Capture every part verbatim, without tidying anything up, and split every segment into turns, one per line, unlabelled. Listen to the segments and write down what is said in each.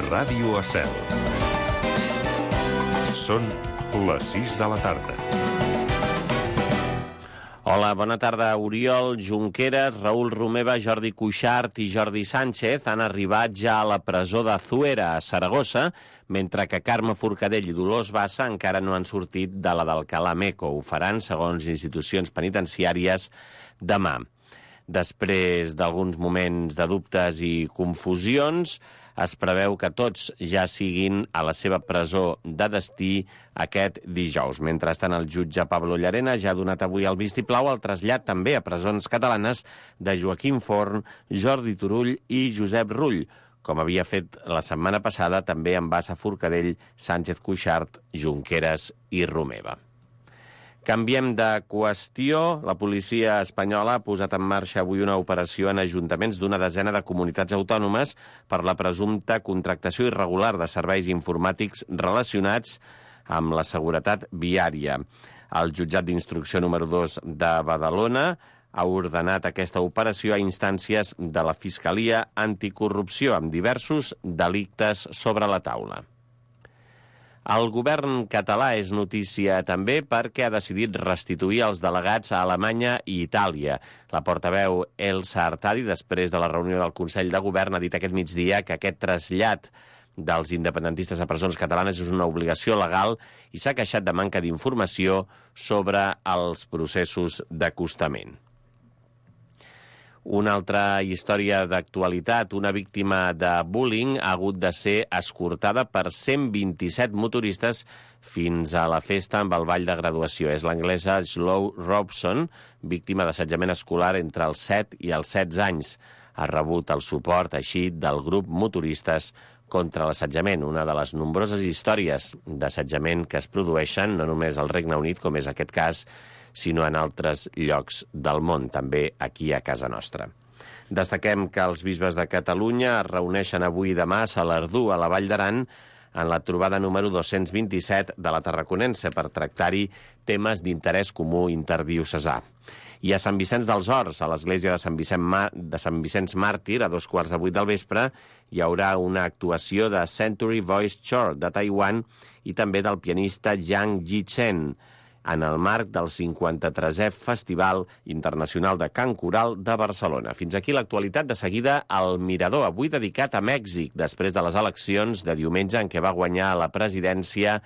Ràdio Estel. Són les sis de la tarda.
Hola, bona tarda. Oriol Junqueras, Raül Romeva, Jordi Cuixart i Jordi Sánchez han arribat ja a la presó de Zuera, a Saragossa, mentre que Carme Forcadell i Dolors Bassa encara no han sortit de la d'Alcalá Meco. Ho faran, segons institucions penitenciàries, demà. Després d'alguns moments de dubtes i confusions, es preveu que tots ja siguin a la seva presó de destí aquest dijous. Mentrestant, el jutge Pablo Llarena ja ha donat avui el vistiplau al trasllat també a presons catalanes de Joaquim Forn, Jordi Turull i Josep Rull, com havia fet la setmana passada també amb Bassa, Forcadell, Sánchez, Cuixart, Junqueras i Romeva. Canviem de qüestió. La policia espanyola ha posat en marxa avui una operació en ajuntaments d'una desena de comunitats autònomes per la presumpta contractació irregular de serveis informàtics relacionats amb la seguretat viària. El jutjat d'instrucció número dos de Badalona ha ordenat aquesta operació a instàncies de la Fiscalia Anticorrupció amb diversos delictes sobre la taula. El govern català és notícia també perquè ha decidit restituir els delegats a Alemanya i Itàlia. La portaveu Elsa Artadi, després de la reunió del Consell de Govern, ha dit aquest migdia que aquest trasllat dels independentistes a presons catalanes és una obligació legal i s'ha queixat de manca d'informació sobre els processos d'acostament. Una altra història d'actualitat. Una víctima de bullying ha hagut de ser escortada per cent vint-i-set motoristes fins a la festa amb el ball de graduació. És l'anglesa Slow Robson, víctima d'assetjament escolar entre els set i els setze anys. Ha rebut el suport així del grup Motoristes contra l'assetjament, una de les nombroses històries d'assetjament que es produeixen no només al Regne Unit, com és aquest cas, sinó en altres llocs del món, també aquí a casa nostra. Destaquem que els bisbes de Catalunya es reuneixen avui i demà a Salardú, a la Vall d'Aran, en la trobada número dos-cents vint-i-set de la Tarraconense, per tractar-hi temes d'interès comú interdiocesà. I a Sant Vicenç dels Horts, a l'església de Sant Vicent Ma- de Sant Vicenç Màrtir, a dos quarts de vuit del vespre, hi haurà una actuació de Century Voice Choir de Taiwan i també del pianista Yang Ji-chen, en el marc del cinquanta-tresè Festival Internacional de Cant Coral de Barcelona. Fins aquí l'actualitat. De seguida, el Mirador, avui dedicat a Mèxic, després de les eleccions de diumenge en què va guanyar la presidència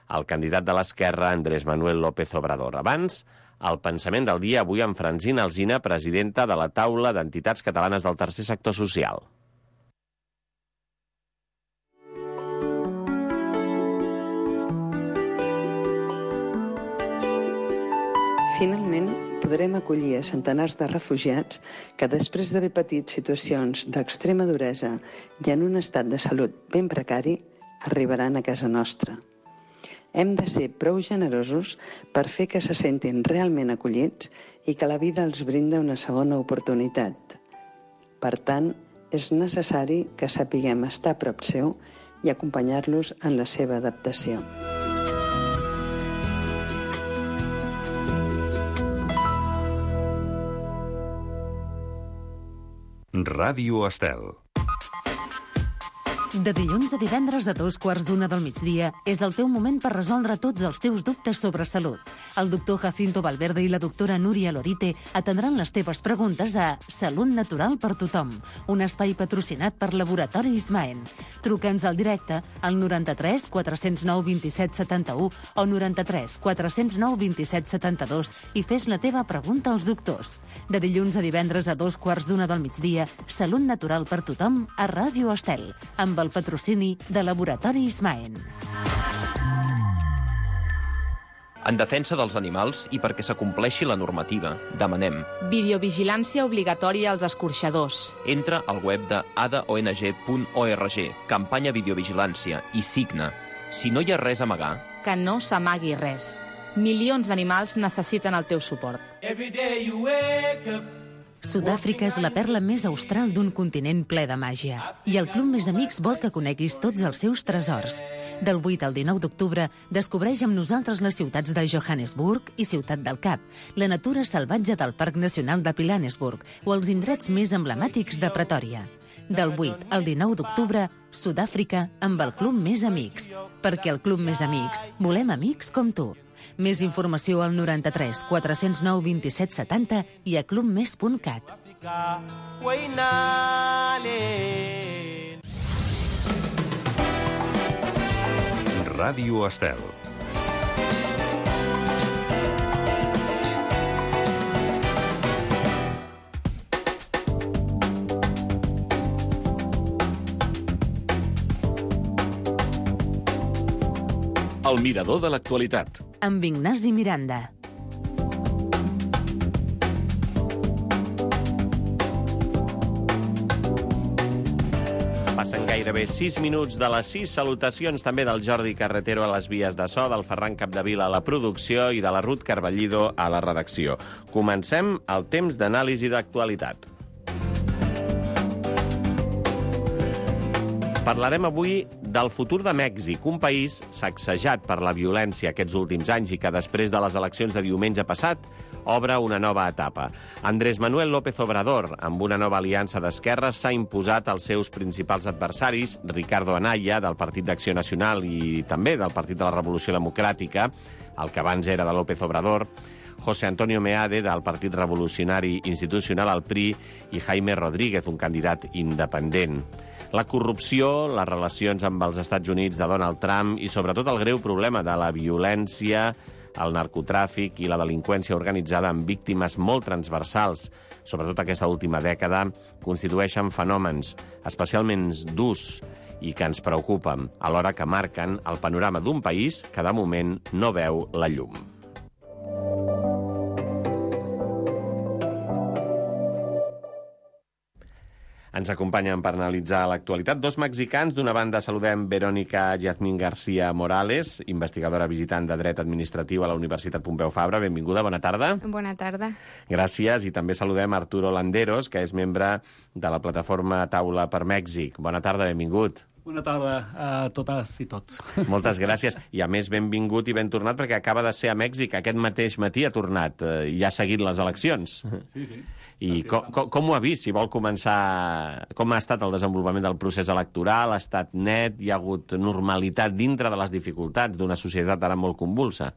el candidat de l'esquerra, Andrés Manuel López Obrador. Abans, el pensament del dia, avui amb Francina Alsina, presidenta de la Taula d'Entitats Catalanes del Tercer Sector Social.
Finalment, podrem acollir a centenars de refugiats que, després d'haver patit situacions d'extrema duresa i en un estat de salut ben precari, arribaran a casa nostra. Hem de ser prou generosos per fer que se sentin realment acollits i que la vida els brinda una segona oportunitat. Per tant, és necessari que sapiguem estar a prop seu i acompanyar-los en la seva adaptació.
Ràdio Estel.
De dilluns a divendres a dos quarts d'una del migdia és el teu moment per resoldre tots els teus dubtes sobre salut. El doctor Jacinto Valverde i la doctora Núria Lorite atendran les teves preguntes a Salut Natural per Tothom, un espai patrocinat per Laboratori Ismaen. Truca'ns al directe al noranta-tres quatre cents nou vint-i-set setanta-u o noranta-tres quatre cents nou vint-i-set setanta-dos i fes la teva pregunta als doctors. De dilluns a divendres a dos quarts d'una del migdia, Salut Natural per Tothom a Ràdio Estel, amb el patrocini de Laboratori Ismaen.
En defensa dels animals i perquè s'acompleixi la normativa, demanem
videovigilància obligatòria als escorxadors.
Entra al web de a d o n g punt org, campanya videovigilància, i signa. Si no hi ha res a amagar,
Que no s'amagui res. Milions d'animals necessiten el teu suport.
Sud-àfrica és la perla més austral d'un continent ple de màgia. I el Club Més Amics vol que coneguis tots els seus tresors. Del vuit al dinou d'octubre, descobreix amb nosaltres les ciutats de Johannesburg i Ciutat del Cap, la natura salvatge del Parc Nacional de Pilanesburg o els indrets més emblemàtics de Pretòria. Del vuit al dinou d'octubre, Sud-àfrica amb el Club Més Amics. Perquè al Club Més Amics volem amics com tu. Més informació al noranta-tres quatre cents nou vint-i-set setanta i a clubmes punt cat.
Ràdio Estel.
El mirador de l'actualitat.
Amb Ignasi Miranda.
Passen gairebé sis minuts de les sis. Salutacions també del Jordi Carretero a les vies de so, del Ferran Capdevila a la producció i de la Ruth Carballido a la redacció. Comencem el temps d'anàlisi d'actualitat. Parlarem avui del futur de Mèxic, un país sacsejat per la violència aquests últims anys i que després de les eleccions de diumenge passat obre una nova etapa. Andrés Manuel López Obrador, amb una nova aliança d'esquerres, s'ha imposat als seus principals adversaris, Ricardo Anaya, del Partit d'Acció Nacional i també del Partit de la Revolució Democràtica, el que abans era de López Obrador, José Antonio Meade, del Partit Revolucionari Institucional, al P R I, i Jaime Rodríguez, un candidat independent. La corrupció, les relacions amb els Estats Units de Donald Trump i sobretot el greu problema de la violència, el narcotràfic i la delinqüència organitzada amb víctimes molt transversals, sobretot aquesta última dècada, constitueixen fenòmens especialment durs i que ens preocupen, alhora que marquen el panorama d'un país que de moment no veu la llum. Ens acompanyen per analitzar l'actualitat dos mexicans. D'una banda saludem Verónica Yasmín García Morales, investigadora visitant de Dret Administratiu a la Universitat Pompeu Fabra. Benvinguda, bona tarda.
Bona tarda.
Gràcies. I també saludem Arturo Landeros, que és membre de la plataforma Taula per Mèxic. Bona tarda, benvingut.
Bona tarda a totes i tots.
Moltes gràcies. I a més, benvingut i ben tornat, perquè acaba de ser a Mèxic. Aquest mateix matí ha tornat eh, i ha seguit les eleccions.
Sí, sí.
I com, com, com ho ha vist? Si vol començar... Com ha estat el desenvolupament del procés electoral? Ha estat net? Hi ha hagut normalitat dintre de les dificultats d'una societat ara molt convulsa?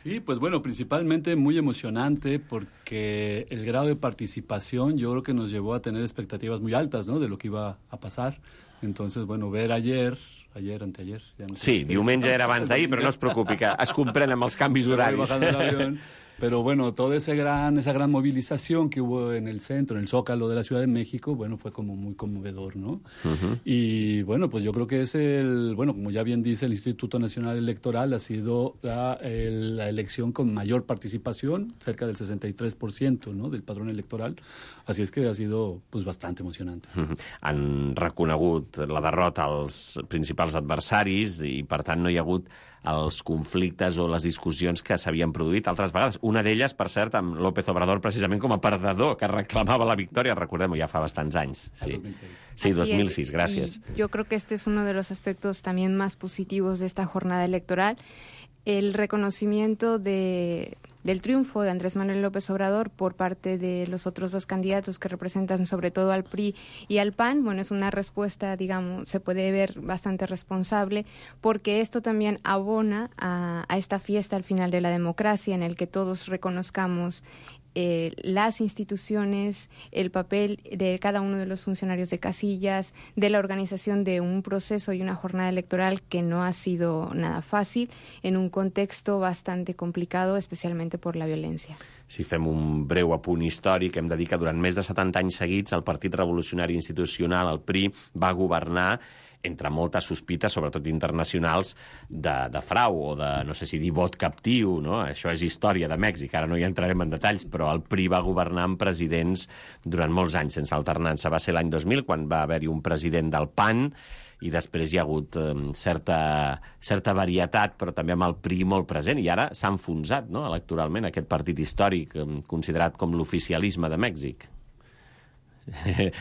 Sí, pues bueno, principalmente muy emocionante porque el grado de participación yo creo que nos llevó a tener expectativas muy altas, ¿no?, de lo que iba a pasar. Entonces, bueno, ver ayer, ayer, anteayer... Ja no sé,
sí, diumenge era abans d'ahir, però no es preocupi, que es comprèn amb els canvis horaris.
Pero bueno, toda ese gran, esa gran movilización que hubo en el centro, en el Zócalo de la Ciudad de México, bueno, fue como muy conmovedor, ¿no? Uh-huh. Y bueno, pues yo creo que es el, bueno, como ya bien dice el Instituto Nacional Electoral, ha sido la, el, la elección con mayor participación, cerca del sesenta y tres por ciento, ¿no?, del padrón electoral. Así es que ha sido, pues, bastante emocionante.
Uh-huh. Han reconegut la derrota als principals adversaris i, per tant, no hi ha hagut els conflictes o les discussions que s'havien produït altres vegades. Una d'elles, per cert, amb López Obrador precisament com a perdedor, que reclamava la victòria, recordem-ho, ja fa bastants anys. Sí, sí, dos mil sis, gracias.
Y yo creo que este es uno de los aspectos también más positivos de esta jornada electoral, el reconocimiento de, del triunfo de Andrés Manuel López Obrador por parte de los otros dos candidatos que representan sobre todo al P R I y al P A N. Bueno, es una respuesta, digamos, se puede ver bastante responsable, porque esto también abona a, a esta fiesta al final de la democracia, en el que todos reconozcamos Eh, las instituciones, el papel de cada uno de los funcionarios de casillas, de la organización de un proceso y una jornada electoral que no ha sido nada fácil, en un contexto bastante complicado, especialmente por la violencia.
Si fem un breu apunt històric, hem de dir que durant més de setanta anys seguits el Partit Revolucionari Institucional, el P R I, va governar entre moltes sospites, sobretot internacionals, de, de frau o de, no sé si dir, vot captiu, no? Això és història de Mèxic, ara no hi entrarem en detalls, però el P R I va governar amb presidents durant molts anys sense alternança. Va ser l'any dos mil, quan va haver-hi un president del P A N, i després hi ha hagut eh, certa, certa varietat, però també amb el P R I molt present, i ara s'ha enfonsat, no?, electoralment aquest partit històric, eh, considerat com l'oficialisme de Mèxic.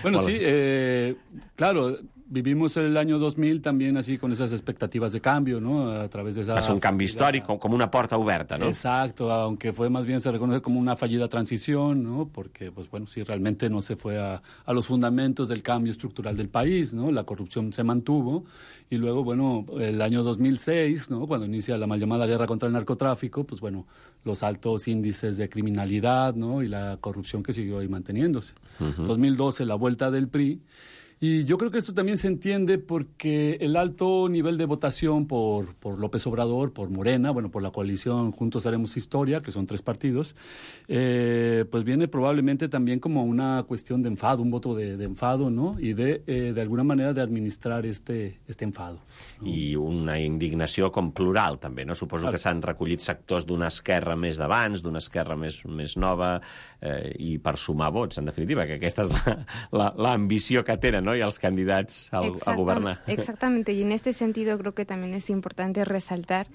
Bueno, sí, eh, claro, vivimos el año dos mil también así con esas expectativas de cambio, ¿no? A través de esa...
Va ser un canvi històric, com una porta oberta, ¿no?
Exacto, aunque fue más bien se reconoce como una fallida transición, ¿no? Porque, pues bueno, sí, realmente no se fue a, a los fundamentos del cambio estructural del país, ¿no? La corrupción se mantuvo y luego, bueno, el año dos mil seis, ¿no? Cuando inicia la mal llamada guerra contra el narcotráfico, pues bueno, los altos índices de criminalidad, ¿no? Y la corrupción que siguió ahí manteniéndose. Uh-huh. dos mil doce, la vuelta del P R I. Y yo creo que esto también se entiende porque el alto nivel de votación por, por López Obrador, por Morena, bueno, por la coalición Juntos Haremos Historia, que son tres partidos, eh, pues viene probablemente también como una cuestión de enfado, un voto de, de enfado, ¿no? Y de, eh, de alguna manera, de administrar este, este enfado, ¿no?
I una indignació com plural, també, no? Suposo que s'han recollit sectors d'una esquerra més d'abans, d'una esquerra més, més nova, eh, i per sumar vots, en definitiva, que aquesta és l'ambició que tenen, ¿no? Y a los candidatos a, a gobernar.
Exactamente, y en este sentido creo que también es importante resaltar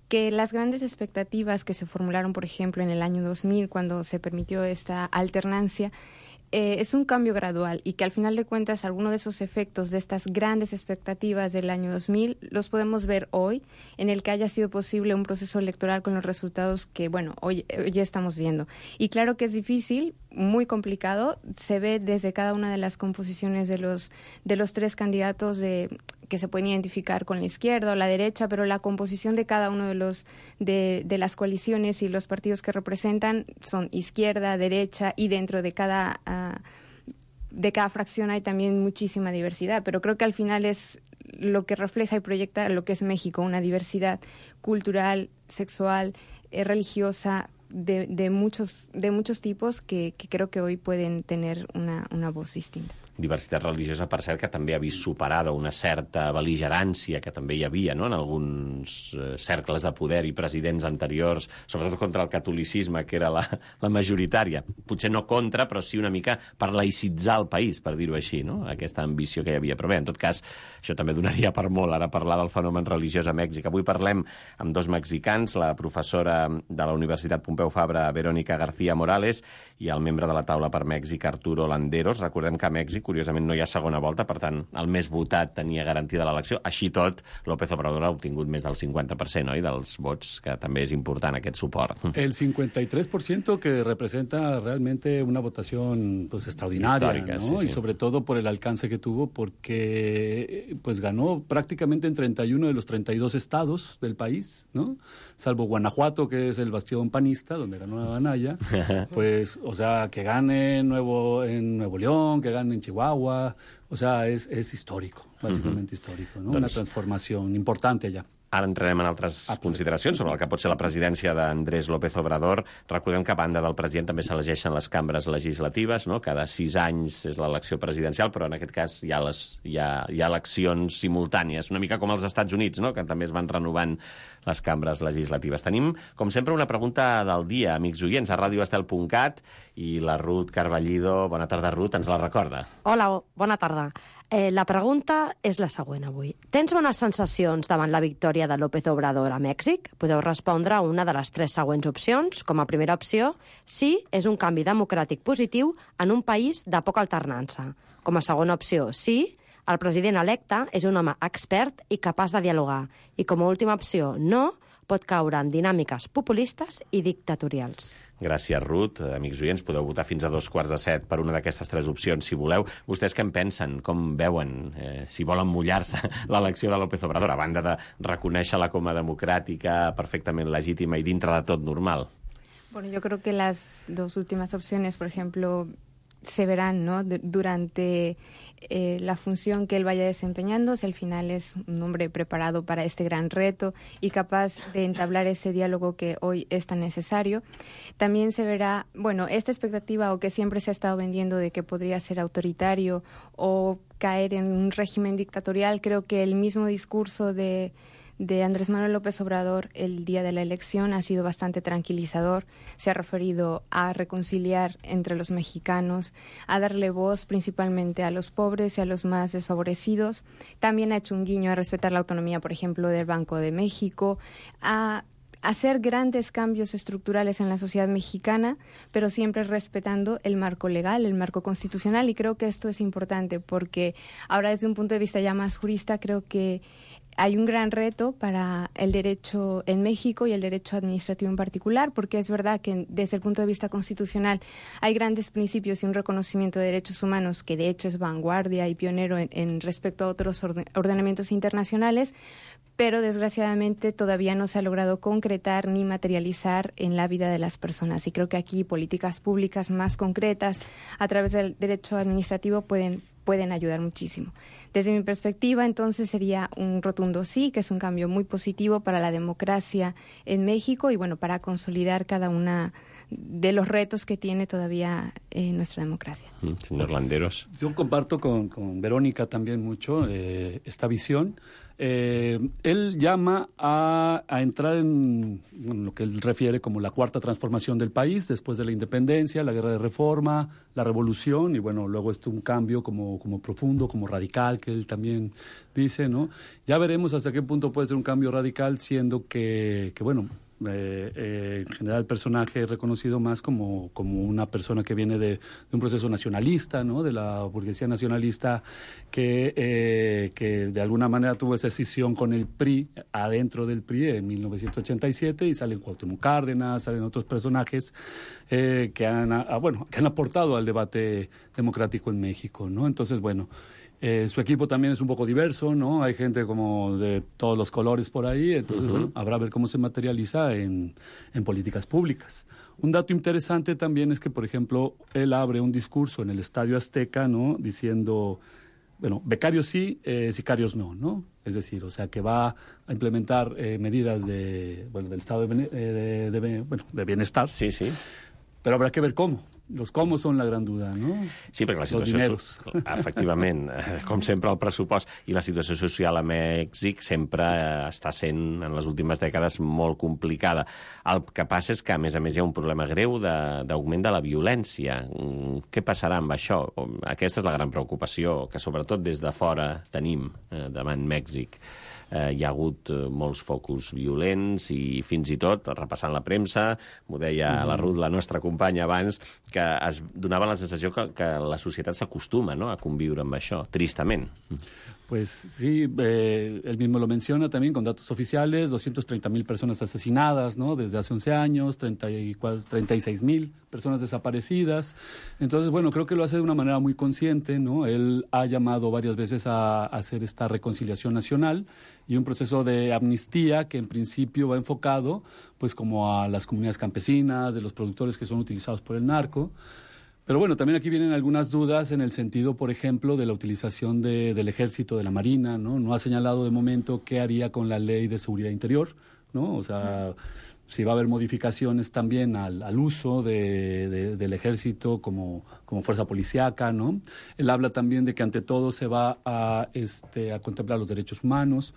que las grandes expectativas que se formularon, por ejemplo, en el año dos mil, cuando se permitió esta alternancia, eh, es un cambio gradual y que al final de cuentas algunos de esos efectos de estas grandes expectativas del año dos mil los podemos ver hoy, en el que haya sido posible un proceso electoral con los resultados que, bueno, hoy, hoy ya estamos viendo. Y claro que es difícil, muy complicado, se ve desde cada una de las composiciones de los, de los tres candidatos de, que se pueden identificar con la izquierda o la derecha, pero la composición de cada uno de los de, de las coaliciones y los partidos que representan son izquierda, derecha, y dentro de cada uh, de cada fracción hay también muchísima diversidad, pero creo que al final es lo que refleja y proyecta lo que es México, una diversidad cultural, sexual, eh, religiosa, de, de muchos de muchos tipos que, que creo que hoy pueden tener una, una voz distinta.
Diversitat religiosa, per cert, que també ha vist superada una certa bel·ligerància que també hi havia, no?, en alguns eh, cercles de poder i presidents anteriors, sobretot contra el catolicisme, que era la, la majoritària. Potser no contra, però sí una mica per laïcitzar el país, per dir-ho així, no?, aquesta ambició que hi havia. Però bé, en tot cas, això també donaria per molt, ara parlar del fenomen religiós a Mèxic. Avui parlem amb dos mexicans, la professora de la Universitat Pompeu Fabra, Verónica García Morales, i el membre de la taula per Mèxic, Arturo Landeros. Recordem que a Mèxic, curiosament, no hi ha segona volta, per tant, el més votat tenia garantida l'elecció. Així tot, López Obrador ha obtingut més del cincuenta per cent, oi?, dels vots, que també és important aquest suport.
El cincuenta y tres por ciento, que representa realmente una votación pues extraordinaria,
histórica,
¿no?
Sí, sí.
Y sobre todo por el alcance que tuvo, porque pues ganó prácticamente en treinta y uno de los treinta y dos estados del país, ¿no? Salvo Guanajuato, que es el bastión panista, donde ganó Anaya, pues, o sea, que gane Nuevo, en Nuevo León, que gane en Chihuahua, o sea, es, es histórico, básicamente uh-huh. histórico, ¿no? Doncs, una transformación importante allá.
Ara entrarem en altres ah, consideracions sobre el que pot ser la presidència d'Andrés López Obrador. Recordem que a banda del president també s'elegeixen les cambres legislatives, no? Cada sis anys és l'elecció presidencial, però en aquest cas hi ha, les, hi ha, hi ha eleccions simultànies, una mica com als Estats Units, no?, que també es van renovant les cambres legislatives. Tenim, com sempre, una pregunta del dia, amics oients, a radio estel punt cat, i la Ruth Carballido, bona tarda, Ruth, ens la recorda.
Hola, bona tarda. Eh, la pregunta és la següent avui. Tens bones sensacions davant la victòria de López Obrador a Mèxic? Podeu respondre a una de les tres següents opcions. Com a primera opció, sí, és un canvi democràtic positiu en un país de poca alternança. Com a segona opció, sí, el president electe és un home expert i capaç de dialogar. I com a última opció, no, pot caure en dinàmiques populistes i dictatorials.
Gràcies, Ruth. Amics oients, podeu votar fins a dos quarts de set per una d'aquestes tres opcions, si voleu. Vostès què en pensen? Com veuen? Eh, si volen mullar-se l'elecció de López Obrador, a banda de reconèixer-la com a democràtica, perfectament legítima i dintre de tot normal?
Bueno, yo creo que las dos últimas opciones, por ejemplo, se verán, ¿no?, de, durante eh, la función que él vaya desempeñando, si al final es un hombre preparado para este gran reto y capaz de entablar ese diálogo que hoy es tan necesario. También se verá, bueno, esta expectativa o que siempre se ha estado vendiendo de que podría ser autoritario o caer en un régimen dictatorial. Creo que el mismo discurso de de Andrés Manuel López Obrador el día de la elección ha sido bastante tranquilizador. Se ha referido a reconciliar entre los mexicanos, a darle voz principalmente a los pobres y a los más desfavorecidos. También ha hecho un guiño a respetar la autonomía, por ejemplo, del Banco de México, a hacer grandes cambios estructurales en la sociedad mexicana, pero siempre respetando el marco legal, el marco constitucional, y creo que esto es importante porque ahora desde un punto de vista ya más jurista creo que hay un gran reto para el derecho en México y el derecho administrativo en particular, porque es verdad que desde el punto de vista constitucional hay grandes principios y un reconocimiento de derechos humanos que de hecho es vanguardia y pionero en, en respecto a otros orden, ordenamientos internacionales, pero desgraciadamente todavía no se ha logrado concretar ni materializar en la vida de las personas. Y creo que aquí políticas públicas más concretas a través del derecho administrativo pueden pueden ayudar muchísimo. Desde mi perspectiva, entonces, sería un rotundo sí, que es un cambio muy positivo para la democracia en México y, bueno, para consolidar cada una de los retos que tiene todavía eh, nuestra democracia.
Señor Landeros.
Yo comparto con, con Verónica también mucho eh, esta visión. Eh, él llama a, a entrar en bueno, lo que él refiere como la cuarta transformación del país después de la independencia, la guerra de reforma, la revolución y bueno, luego esto un cambio como, como profundo, como radical, que él también dice, ¿no? Ya veremos hasta qué punto puede ser un cambio radical, siendo que, que bueno, Eh, eh, en general el personaje es reconocido más como, como una persona que viene de, de un proceso nacionalista, ¿no? De la burguesía nacionalista que, eh, que de alguna manera tuvo esa escisión con el P R I, adentro del P R I en mil novecientos ochenta y siete, y salen Cuauhtémoc Cárdenas, salen otros personajes eh, que, han, a, bueno, que han aportado al debate democrático en México, ¿no? Entonces, bueno, Eh, su equipo también es un poco diverso, ¿no? Hay gente como de todos los colores por ahí, entonces, uh-huh. bueno, habrá ver cómo se materializa en, en políticas públicas. Un dato interesante también es que, por ejemplo, él abre un discurso en el Estadio Azteca, ¿no? Diciendo, bueno, becarios sí, eh, sicarios no, ¿no? Es decir, o sea, que va a implementar eh, medidas de, bueno, del estado de, de, de, de, bueno, de bienestar.
Sí, sí.
Però habrá que ver cómo. Los cómo són la gran duda, no?
Sí, perquè la situació... Efectivament, com sempre el pressupost i la situació social a Mèxic sempre està sent, en les últimes dècades, molt complicada. El que passa és que, a més a més, hi ha un problema greu d'augment de, de la violència. Què passarà amb això? Aquesta és la gran preocupació que, sobretot, des de fora tenim eh, davant Mèxic. Eh, hi ha hagut eh, molts focus violents i fins i tot, repassant la premsa, m'ho deia mm-hmm. la Ruth, la nostra companya abans, que es donava la sensació que, que la societat s'acostuma, ¿no?, a conviure amb això, tristament.
Pues sí, eh, él mismo lo menciona también con datos oficiales, doscientas treinta mil personas asesinadas, ¿no?, desde hace once años, treinta y seis mil personas desaparecidas. Entonces, bueno, creo que lo hace de una manera muy consciente, ¿no? Él ha llamado varias veces a, a hacer esta reconciliación nacional y un proceso de amnistía que en principio va enfocado pues como a las comunidades campesinas, de los productores que son utilizados por el narco. Pero bueno, también aquí vienen algunas dudas en el sentido, por ejemplo, de la utilización de, del ejército, de la marina, ¿no? No ha señalado de momento qué haría con la ley de seguridad interior, ¿no? O sea, si va a haber modificaciones también al, al uso de, de, del ejército como, como fuerza policíaca, ¿no? Él habla también de que ante todo se va a, este, a contemplar los derechos humanos.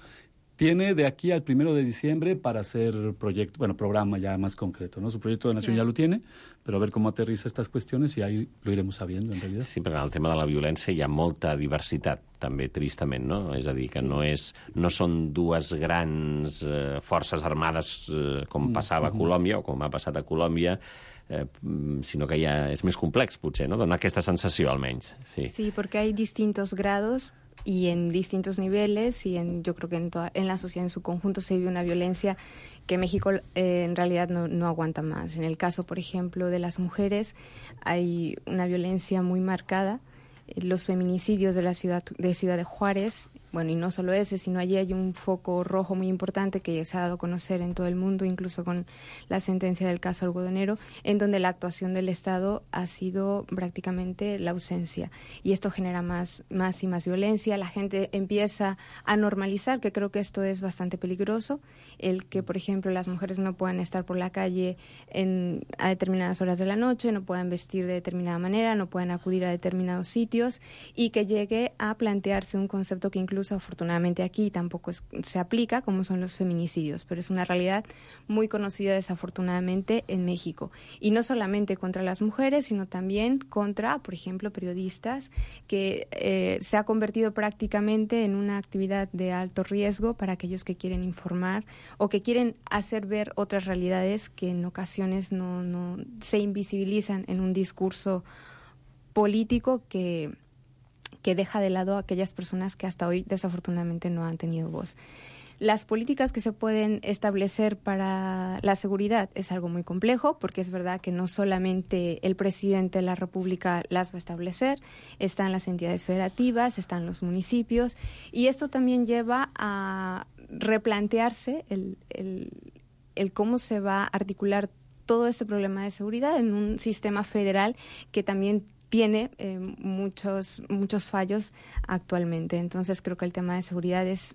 Tiene de aquí al primero de diciembre para hacer proyecto, bueno, programa ya más concreto, ¿no? Su proyecto de nación ya lo tiene, pero a ver cómo aterriza estas cuestiones y ahí lo iremos sabiendo, en realidad.
Sí, perquè en el tema de la violència hi ha molta diversitat, també, tristament, no? És a dir, que sí. no, és, no són dues grans eh, forces armades eh, com passava a Colòmbia o com ha passat a Colòmbia, eh, sinó que ja és més complex, potser, no? Dona aquesta sensació, almenys. Sí,
sí, porque hay distintos grados y en distintos niveles y en, yo creo que en, toda, en la sociedad en su conjunto se vive una violencia que México eh, en realidad no, no aguanta más. En el caso, por ejemplo, de las mujeres hay una violencia muy marcada. Los feminicidios de la ciudad de Ciudad de Juárez, bueno, y no solo ese, sino allí hay un foco rojo muy importante que se ha dado a conocer en todo el mundo, incluso con la sentencia del caso algodonero, en donde la actuación del Estado ha sido prácticamente la ausencia. Y esto genera más, más y más violencia. La gente empieza a normalizar, que creo que esto es bastante peligroso, el que, por ejemplo, las mujeres no puedan estar por la calle en, a determinadas horas de la noche, no puedan vestir de determinada manera, no puedan acudir a determinados sitios, y que llegue a plantearse un concepto que incluye incluso afortunadamente aquí tampoco es, se aplica, como son los feminicidios, pero es una realidad muy conocida desafortunadamente en México. Y no solamente contra las mujeres, sino también contra, por ejemplo, periodistas, que eh, se ha convertido prácticamente en una actividad de alto riesgo para aquellos que quieren informar o que quieren hacer ver otras realidades que en ocasiones no, no se invisibilizan en un discurso político que, que deja de lado a aquellas personas que hasta hoy desafortunadamente no han tenido voz. Las políticas que se pueden establecer para la seguridad es algo muy complejo, porque es verdad que no solamente el presidente de la República las va a establecer, están las entidades federativas, están los municipios, y esto también lleva a replantearse el, el, el cómo se va a articular todo este problema de seguridad en un sistema federal que también tiene eh, muchos, muchos fallos actualmente. Entonces creo que el tema de seguridad es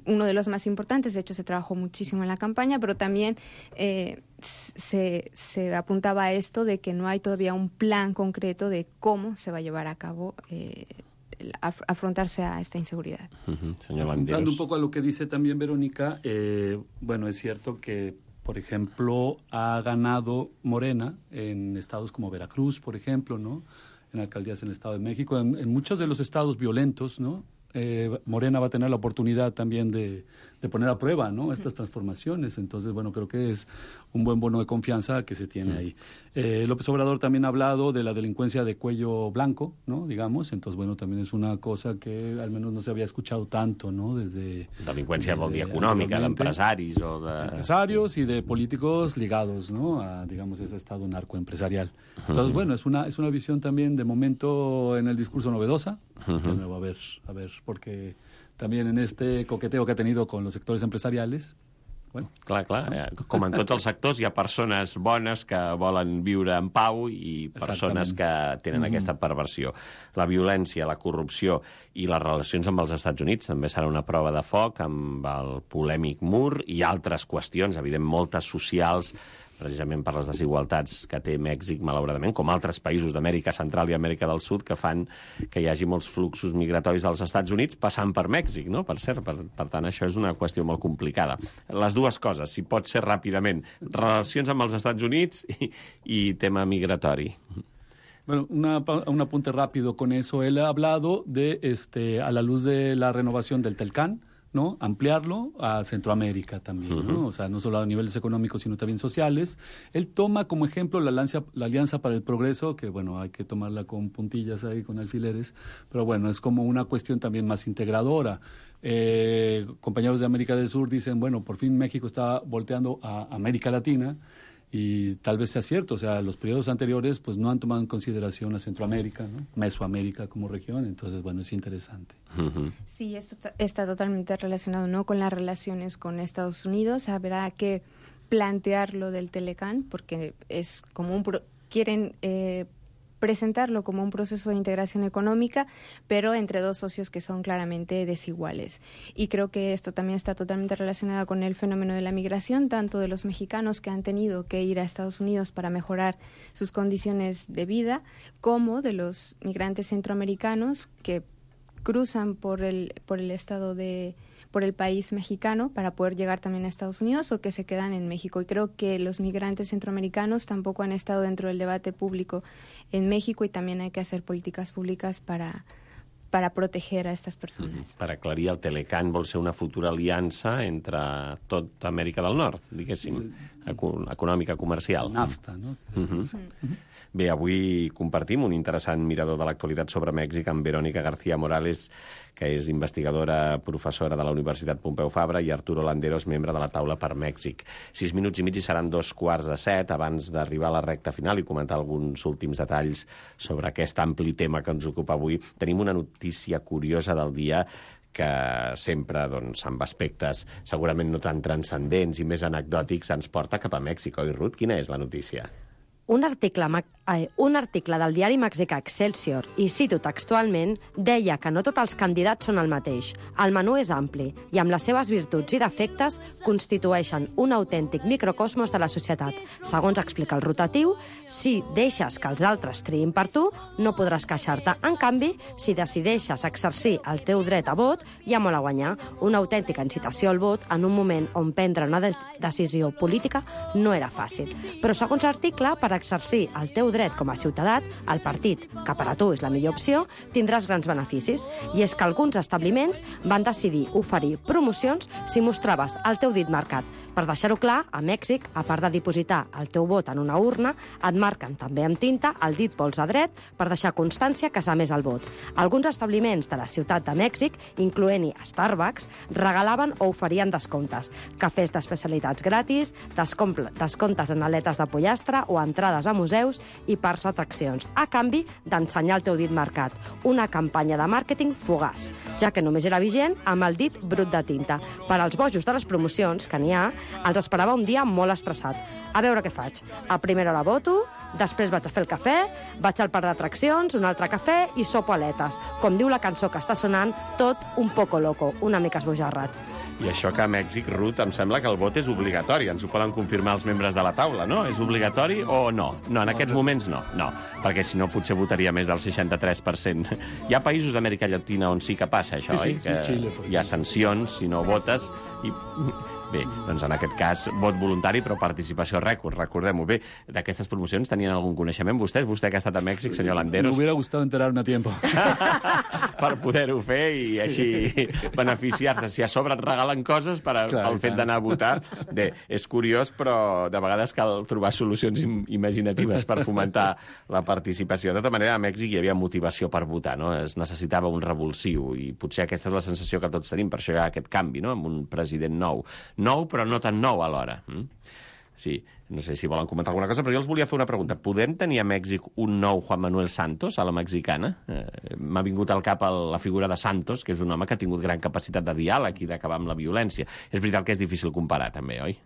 uno de los más importantes. De hecho, se trabajó muchísimo en la campaña, pero también eh, se, se apuntaba a esto de que no hay todavía un plan concreto de cómo se va a llevar a cabo eh, af afrontarse a esta inseguridad.
Uh-huh. Señor Landeros.
Hablando un poco a lo que dice también Verónica, eh, bueno, es cierto que, por ejemplo, ha ganado Morena en estados como Veracruz, por ejemplo, ¿no? En alcaldías en el Estado de México, en, en muchos de los estados violentos, ¿no? Eh, Morena va a tener la oportunidad también de, de poner a prueba, ¿no?, estas transformaciones. Entonces, bueno, creo que es un buen bono de confianza que se tiene ahí. Eh, López Obrador también ha hablado de la delincuencia de cuello blanco, ¿no?, digamos. Entonces, bueno, también es una cosa que al menos no se había escuchado tanto, ¿no?, desde...
Delinqüència vol dir econòmica, d'empresaris o de...
Empresarios y de políticos ligados, ¿no?, a, digamos, ese estado narcoempresarial. Entonces, bueno, es una, es una visión también de momento en el discurso novedosa. Uh-huh. De nuevo, a ver, a ver, porque también en este coqueteo que ha tenido con los sectores empresariales, bueno...
Clar, clar, no? Com en tots els sectors hi ha persones bones que volen viure en pau i persones que tenen mm-hmm. aquesta perversió. La violència, la corrupció i les relacions amb els Estats Units també serà una prova de foc amb el polèmic mur i altres qüestions, evident, moltes socials, precisament per les desigualtats que té Mèxic, malauradament, com altres països d'Amèrica Central i Amèrica del Sud, que fan que hi hagi molts fluxos migratoris als Estats Units passant per Mèxic, no?, per cert. Per, per tant, això és una qüestió molt complicada. Les dues coses, si pot ser ràpidament, relacions amb els Estats Units i, i tema migratori.
Bueno, una, un apunte rápido con eso. Él ha hablado de, este, a la luz de la renovación del Telcán, ¿no?, ampliarlo a Centroamérica también, uh-huh. ¿no? O sea, no solo a niveles económicos, sino también sociales. Él toma como ejemplo la Alianza, la Alianza para el Progreso, que, bueno, hay que tomarla con puntillas ahí, con alfileres, pero bueno, es como una cuestión también más integradora. Eh, compañeros de América del Sur dicen, bueno, por fin México está volteando a América Latina, y tal vez sea cierto, o sea, los periodos anteriores pues no han tomado en consideración a Centroamérica, ¿no?, Mesoamérica como región, entonces, bueno, es interesante.
Uh-huh.
Sí, esto está totalmente relacionado, ¿no?, con las relaciones con Estados Unidos. Habrá que plantear lo del Telecán, porque es como un... Pro- quieren... Eh, presentarlo como un proceso de integración económica, pero entre dos socios que son claramente desiguales. Y creo que esto también está totalmente relacionado con el fenómeno de la migración, tanto de los mexicanos que han tenido que ir a Estados Unidos para mejorar sus condiciones de vida, como de los migrantes centroamericanos que cruzan por el, por el estado de... por el país mexicano para poder llegar también a Estados Unidos, o que se quedan en México. Y creo que los migrantes centroamericanos tampoco han estado dentro del debate público en México, y también hay que hacer políticas públicas para, para proteger a estas personas.
Mm-hmm. Per aclarir, el Telecán vol ser una futura aliança entre tota Amèrica del Nord, diguéssim, econòmica, comercial.
NAFTA, no?
Mm-hmm. Mm-hmm. Bé, avui compartim un interessant mirador de l'actualitat sobre Mèxic amb Verónica García Morales, que és investigadora professora de la Universitat Pompeu Fabra, i Arturo Landeros, membre de la taula per Mèxic. Sis minuts i mig i seran dos quarts de set. Abans d'arribar a la recta final i comentar alguns últims detalls sobre aquest ampli tema que ens ocupa avui, tenim una notícia curiosa del dia que sempre, doncs, amb aspectes segurament no tan transcendents i més anecdòtics, ens porta cap a Mèxic, oi, Ruth? Quina és la notícia?
Un article, eh, un article del diari mexicà Excelsior, i cito textualment, deia que no tots els candidats són el mateix. El menú és ampli i amb les seves virtuts i defectes constitueixen un autèntic microcosmos de la societat. Segons explica el rotatiu, si deixes que els altres triïn per tu, no podràs queixar-te. En canvi, si decideixes exercir el teu dret a vot, hi ha molt a guanyar. Una autèntica incitació al vot en un moment on prendre una de decisió política no era fàcil. Però segons l'article, per exercir el teu dret com a ciutadà, el partit, que per a tu és la millor opció, tindràs grans beneficis. I és que alguns establiments van decidir oferir promocions si mostraves el teu dit marcat. Per deixar-ho clar, a Mèxic, a part de dipositar el teu vot en una urna, et marquen també amb tinta el dit polze dret per deixar constància que s'ha emès el vot. Alguns establiments de la ciutat de Mèxic, incloent-hi Starbucks, regalaven o oferien descomptes, cafès d'especialitats gratis, descomptes en aletes de pollastre o entrades a museus i parcs d'atraccions, a canvi d'ensenyar el teu dit marcat. Una campanya de màrqueting fugaç, ja que només era vigent amb el dit brut de tinta. Per als bojos de les promocions, que n'hi ha, els esperava un dia molt estressat. A veure què faig. A primera hora voto, després vaig a fer el cafè, vaig al parc d'atraccions, un altre cafè i sopo aletes. Com diu la cançó que està sonant, tot un poco loco, una mica esbojarrat.
I això que a Mèxic, Ruth, em sembla que el vot és obligatori. Ens ho poden confirmar els membres de la taula, no? És obligatori o no? No, en aquests moments no. No, perquè si no potser votaria més del seixanta-tres per cent. Hi ha països d'Amèrica Llatina on sí que passa això,
sí,
oi?
Sí, sí, Xile.
Hi ha sancions si no votes i... Bé, doncs en aquest cas, vot voluntari, però participació rècord, recordem-ho. Bé, d'aquestes promocions tenien algun coneixement vostès? Vostè que ha estat a Mèxic, senyor Landeros?
Me hubiera gustado enterarme a tiempo.
Per poder-ho fer i sí. Així beneficiar-se. Si a sobre et regalen coses per a, clar, pel fet d'anar a votar. Bé, és curiós, però de vegades cal trobar solucions im imaginatives per fomentar la participació. De tota manera, a Mèxic hi havia motivació per votar, no? Es necessitava un revulsiu i potser aquesta és la sensació que tots tenim, per això hi ha aquest canvi, no? Amb un president nou. Nou, però no tan nou alhora. Mm? Sí, no sé si volen comentar alguna cosa, però jo els volia fer una pregunta. Podem tenir a Mèxic un nou Juan Manuel Santos a la mexicana? Eh, M'ha vingut al cap la figura de Santos, que és un home que ha tingut gran capacitat de diàleg i d'acabar amb la violència. És veritat que és difícil comparar, també, oi?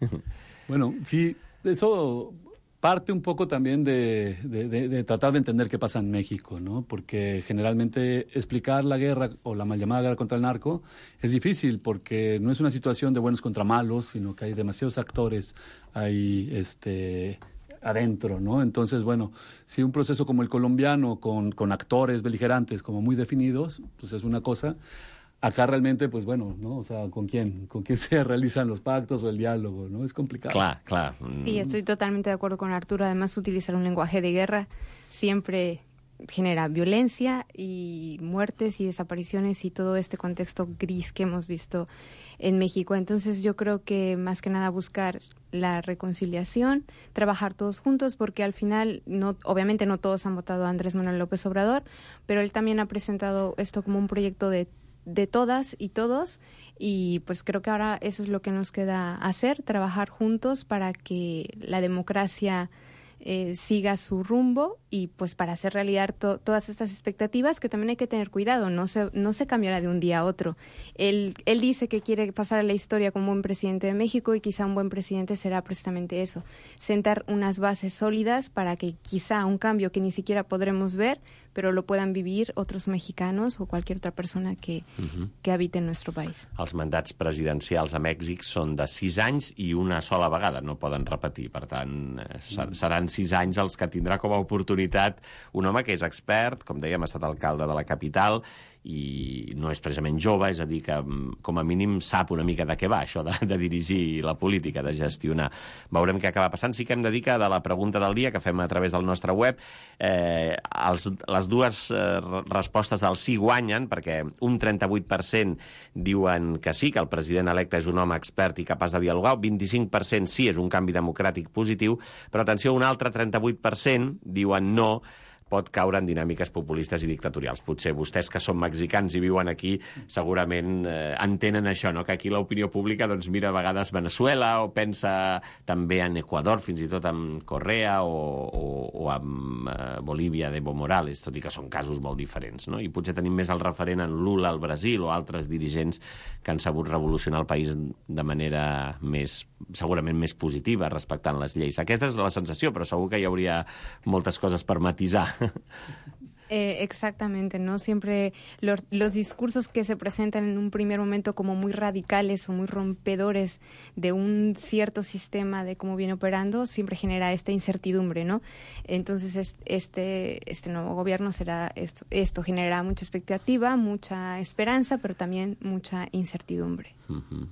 Bueno, sí, eso... parte un poco también de, de, de, de tratar de entender qué pasa en México, ¿no? Porque generalmente explicar la guerra o la mal llamada guerra contra el narco es difícil porque no es una situación de buenos contra malos, sino que hay demasiados actores ahí este, adentro, ¿no? Entonces, bueno, si un proceso como el colombiano con, con actores beligerantes como muy definidos, pues es una cosa. Acá realmente, pues bueno, ¿no? O sea, ¿con quién? ¿Con quién se realizan los pactos o el diálogo, no? Es complicado.
Claro, claro.
Sí, estoy totalmente de acuerdo con Arturo. Además, utilizar un lenguaje de guerra siempre genera violencia y muertes y desapariciones y todo este contexto gris que hemos visto en México. Entonces, yo creo que más que nada buscar la reconciliación, trabajar todos juntos, porque al final, no, obviamente no todos han votado a Andrés Manuel López Obrador, pero él también ha presentado esto como un proyecto de de todas y todos, y pues creo que ahora eso es lo que nos queda hacer, trabajar juntos para que la democracia eh, siga su rumbo y pues para hacer realidad to todas estas expectativas, que también hay que tener cuidado, no se, no se cambiará de un día a otro. Él, él dice que quiere pasar a la historia como un buen presidente de México y quizá un buen presidente será precisamente eso, sentar unas bases sólidas para que quizá un cambio que ni siquiera podremos ver, pero lo puedan vivir otros mexicanos o cualquier otra persona que, uh-huh. que habite en nuestro país.
Els mandats presidencials a Mèxic són de sis anys i una sola vegada, no poden repetir. Per tant, seran sis anys els que tindrà com a oportunitat un home que és expert, com dèiem, ha estat alcalde de la capital i no és precisament jove, és a dir, que com a mínim sap una mica de què va això de, de dirigir la política, de gestionar. Veurem què acaba passant. Sí que hem de dir que de la pregunta del dia que fem a través del nostre web, eh, els, les dues eh, respostes del sí guanyen, perquè un trenta-vuit per cent diuen que sí, que el president electe és un home expert i capaç de dialogar, el vint-i-cinc per cent sí, és un canvi democràtic positiu, però atenció, un altre trenta-vuit per cent diuen no, pot caure en dinàmiques populistes i dictatorials. Potser vostès que són mexicans i viuen aquí segurament eh, entenen això, no? Que aquí l'opinió pública doncs, mira a vegades Venezuela o pensa també en Equador, fins i tot en Correa o, o, o en eh, Bolívia d'Evo Morales, tot i que són casos molt diferents, no? I potser tenim més el referent en Lula al Brasil o altres dirigents que han sabut revolucionar el país de manera més, segurament més positiva, respectant les lleis. Aquesta és la sensació, però segur que hi hauria moltes coses per matisar.
Eh, exactamente, ¿no? Siempre lo, los discursos que se presentan en un primer momento como muy radicales o muy rompedores de un cierto sistema de cómo viene operando, siempre genera esta incertidumbre, ¿no? Entonces, este, este nuevo gobierno será esto, esto generará mucha expectativa, mucha esperanza, pero también mucha incertidumbre.
Uh-huh.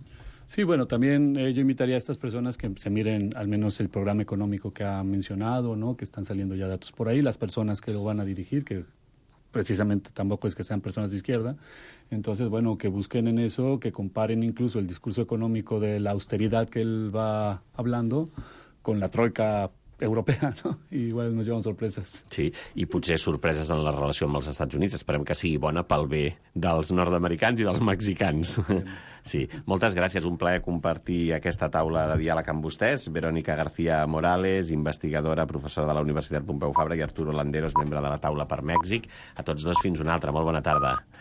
Sí, bueno, también eh, yo invitaría a estas personas que se miren al menos el programa económico que ha mencionado, ¿no? Que están saliendo ya datos por ahí, las personas que lo van a dirigir, que precisamente tampoco es que sean personas de izquierda. Entonces, bueno, que busquen en eso, que comparen incluso el discurso económico de la austeridad que él va hablando con la troika europea, no? I igual nos llevan sorpreses.
Sí, i potser sorpreses en la relació amb els Estats Units. Esperem que sigui bona pel bé dels nord-americans i dels mexicans. Sí, moltes gràcies. Un plaer compartir aquesta taula de diàleg amb vostès. Verónica García Morales, investigadora, professora de la Universitat Pompeu Fabra, i Arturo Landeros, membre de la taula per Mèxic. A tots dos, fins una altra. Molt bona tarda.